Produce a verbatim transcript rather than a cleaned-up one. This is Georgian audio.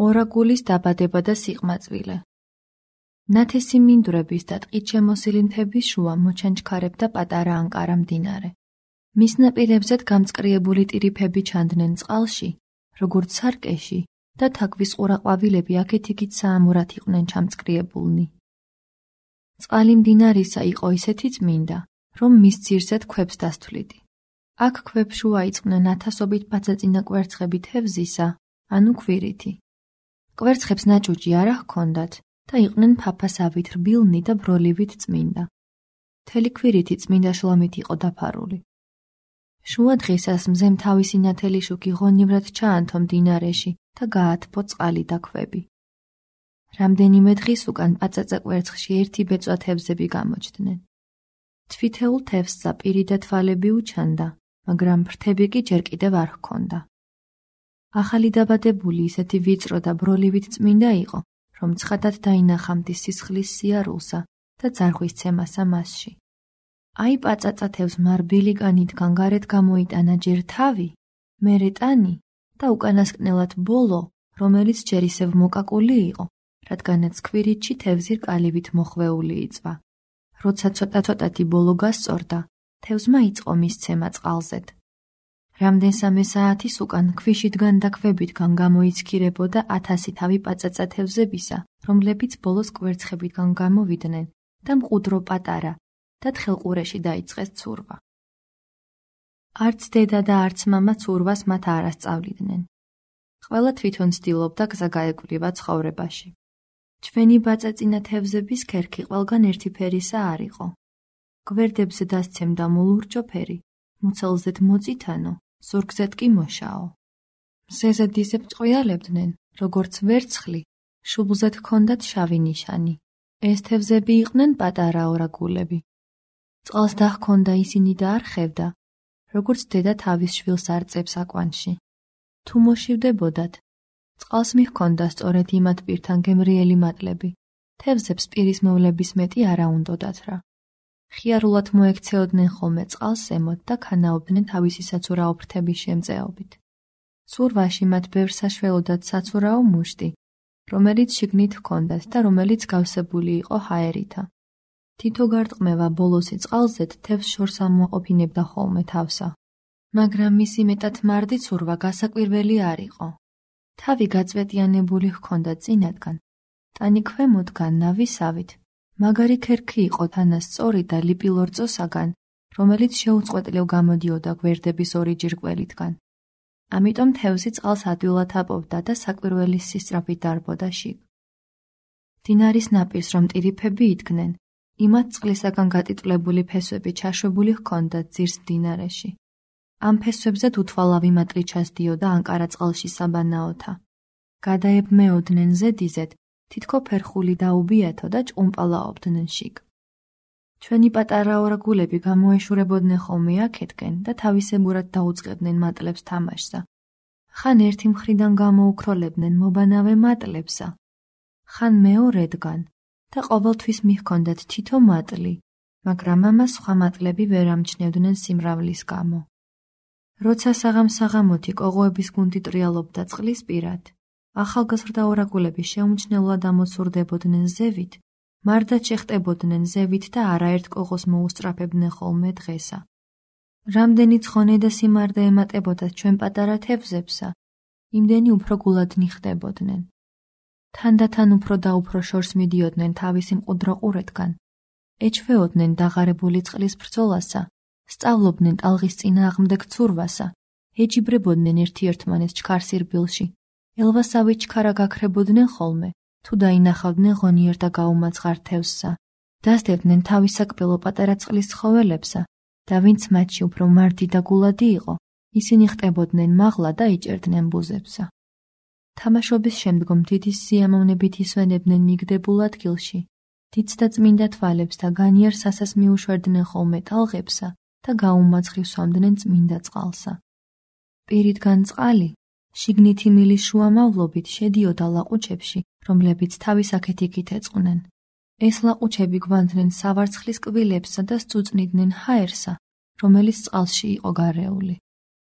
ორაგულის დაბადება და სიყმაწვილე. ნათესი მინდვრების და ტყით შემოსილი მთების შუა მოჩანჩქარებდა პატარა ანკარა მდინარე. მის ნაპირებზეც გამწყრიებული ტირიფები ჩანდნენ წყალში, როგორც სარკეში და თაქვის ყურაყვავილები აქეთ-იქით საამურად იყვნენ ჩამწყრიებულნი. წყალი მდინარისა იყო ისეთი წმინდა, რომ მის ძირზედ ქვებს დასთვლიდი. აქ ქვებშუა იწყნენ ათასობით პაწაწინა კვერცხები თევზისა, ანუ ქვირითი. კვერცხებს ნაჭუჭი არა ჰქონდათ და იყვნენ ფაფასავით რბილნი და ბროლივით წმინდა. მთელი ქვირითი წმინდა შლომით იყო დაფარული. შუა დღისას მზემ თავისი ნათელი შუქი ღონივრად ჩაანთო მდინარეში და გაათბო წყალი და ქვები. რამდენიმე დღის უკან პაწაწა კვერცხში ერთი ბეწვა თევზები გამოჩნდნენ. თვითეულ თევზსა პირი და თვალები უჩანდა, მაგრამ ფრთები კი ჯერ კიდევ არ ჰქონდა. ახალი დაბადებული ისეთი ვიწრო და ბროლივით წმინდა იყო, რომ ცხადად დაინახა მდის სისხლის სიარულსა და ძარღვის ცემასა მასში. აი პაწაწა თევზმა რბილი კანითგან გარეთ გამოიტანა ჯერ თავი, მერე ტანი და უკანასკნელად ბოლო, რომელიც ჯერ ისევ მოკაკული იყო, რადგანაც ქვირითში თევზი რკალივით მოხვეული იწვა. როცა ცოტა-ცოტათი ბოლო გასწორდა, თევზმა იწყო მისცემა წყალზედ. რამდენსამე საათის უკან ქვიშითგან და ქვებითგან გამოიცქირებოდა ათასი თავი პაწაწა თევზებისა, რომლებიც ბოლოს კვერცხებითგან გამოვიდნენ და მყუდრო პატარა და თხელყურეში დაიწყეს ცურვა. არც დედა და არც მამა ცურვას მათ არ ასწავლიდნენ. ყველა თვითონ ცდილობდა გზა გაეკვლივა ცხოვრებაში. ჩვენი პაწაწინა თევზების ქერქი ყველგან ერთი ფერისა არ იყო. გვერდებზე დასცემდა მოლურჯო ფერი, მუცელზედ მოწითანო, ზურგზედ კი მოშაო. მზეზე დიზებ ჭყვიალებდნენ, როგორც ვერცხლი, შუბლზედ ჰქონდათ შავი ნიშანი. ეს თევზები იყვნენ პატარა ორაგულები. წყალს დაჰქონდა ისინი და არ ხევდა, როგორც დედა თავის შვილს არწევს აკვანში. თუ მოშივდებოდათ, წყალს მიჰქონდა სწორედ იმათ პირთან გემრიელი მატლები, თევზებს პირის მოვლების მეტი არა უნდოდათ რა. ხიარულად მოექცეოდნენ ხოლმე წყალს ზემოთ და ქანაობდნენ თავისი საცურაო ფრთების შემწეობით. ცურვაში მათ ბევრ საშველოდათ საცურაო მუშტი, რომელიც შიგნით ჰქონდათ და რომელიც გავსებული იყო ჰაერითა. თითო გარტყმევა ბოლოსი წყალზედ თევზს შორს ამოაყოფინებდა ხოლმე თავსა. მაგრამ მისი მეტად მარდი ცურვა გასაკვირველი არ იყო. თავი გაწვეტიანებული ჰქონდა წინათგან, ტანი ქვემოდგან ნავისავით, მაგარი ქერქი იყო თანასწორი და ლიპილორწოსაგან, რომელიც შეუწყვეტლივ გამოდიოდა გვერდების ორი ჯირკველითგან. ამიტომ თევზი წყალს ადვილად აპოვდა და საკვირველი სისწრაფით დარბოდა შიგ. მდინარის ნაპირს რომ ტირიფები იდგნენ, იმათ წყლისაგან გატიტვლებული ფესვები ჩაშვებული ჰქონდათ ძირს მდინარეში. ამ ფესვებზე უთვალავი მატლი ჩასდიოდა ანკარა წყალში საბანაოთა. გადაებმეოდნენ ზედიზედ, თითქო ფერხული დაუბიათო და ჭყუმპალაობდნენ შიგ. ჩვენი პატარა ორაგულები გამოეშურებოდნენ ხოლმე აქეთკენ და თავისებურად დაუწყებდნენ მატლებს თამაშსა. ხან ერთი მხრიდან გამოუქროლებდნენ მობანავე მატლებსა, ხან მეორედგან და ყოველთვის მიჰქონდათ თითო მატლი, მაგრამ ამას სხვა მატლები ვერ ამჩნევდნენ სიმრავლის გამო. როცა საღამ-საღამოთი კოღოების გუნდი ტრიალობდა წყლის პირად, ახალგაზრდა ორაგულები შეუმჩნევლად ამოცურდებოდნენ ზევით, მარდაც შეხტებოდნენ ზევით და არაერთ კოღოს მოუსწრაფებდნენ ხოლმე დღესა. რამდენი ცხონე და სიმარდე ემატებოდათ ჩვენ პატარა თევზებსა, იმდენი უფრო გულადნი ხდებოდნენ. თანდათან უფრო და უფრო შორს მიდიოდნენ თავისი მყუდრო ყურეთგან, ეჩვეოდნენ დაღარებული წყლის ბრძოლასა, სწავლობდნენ ტალღის წინააღმდეგ ცურვასა, ეჯიბრებოდნენ ერთი-ერთმანეს ჩქარსირბილში, ელვასავით ჩქარა გაქრებოდნენ ხოლმე, თუ დაინახავდნენ ღონიერ და გაუმაცხარ თევზსა, დასდებდნენ თავის საკბელო პატარა წყლის ცხოველებსა და ვინც მათში უფრო მარდი და გულადი იყო, ისინი ხტებოდნენ მაღლა და იჭერდნენ ბუზებსა. თამაშობის შემდგომ დიდი სიამოვნებით ისვენებდნენ მიგდებულ ადგილში, დიდს და წმინდა თვალებს და განიერ სასას მიუშვერდნენ ხოლმე ტალღებსა და გაუმაცხრი სვამდნენ წმინდა წყალსა. პირიდგან წყალი, შიგნითი მილის შუამავლობით შედიოდა ლაყუჩებში, რომლებიც თავის აქეთ-იქით ეწყნენ. ეს ლაყუჩები გვანდნენ სავარცხლის კბილებსა და სწუწნიდნენ ჰაერსა, რომელიც წყალში იყო გარეული.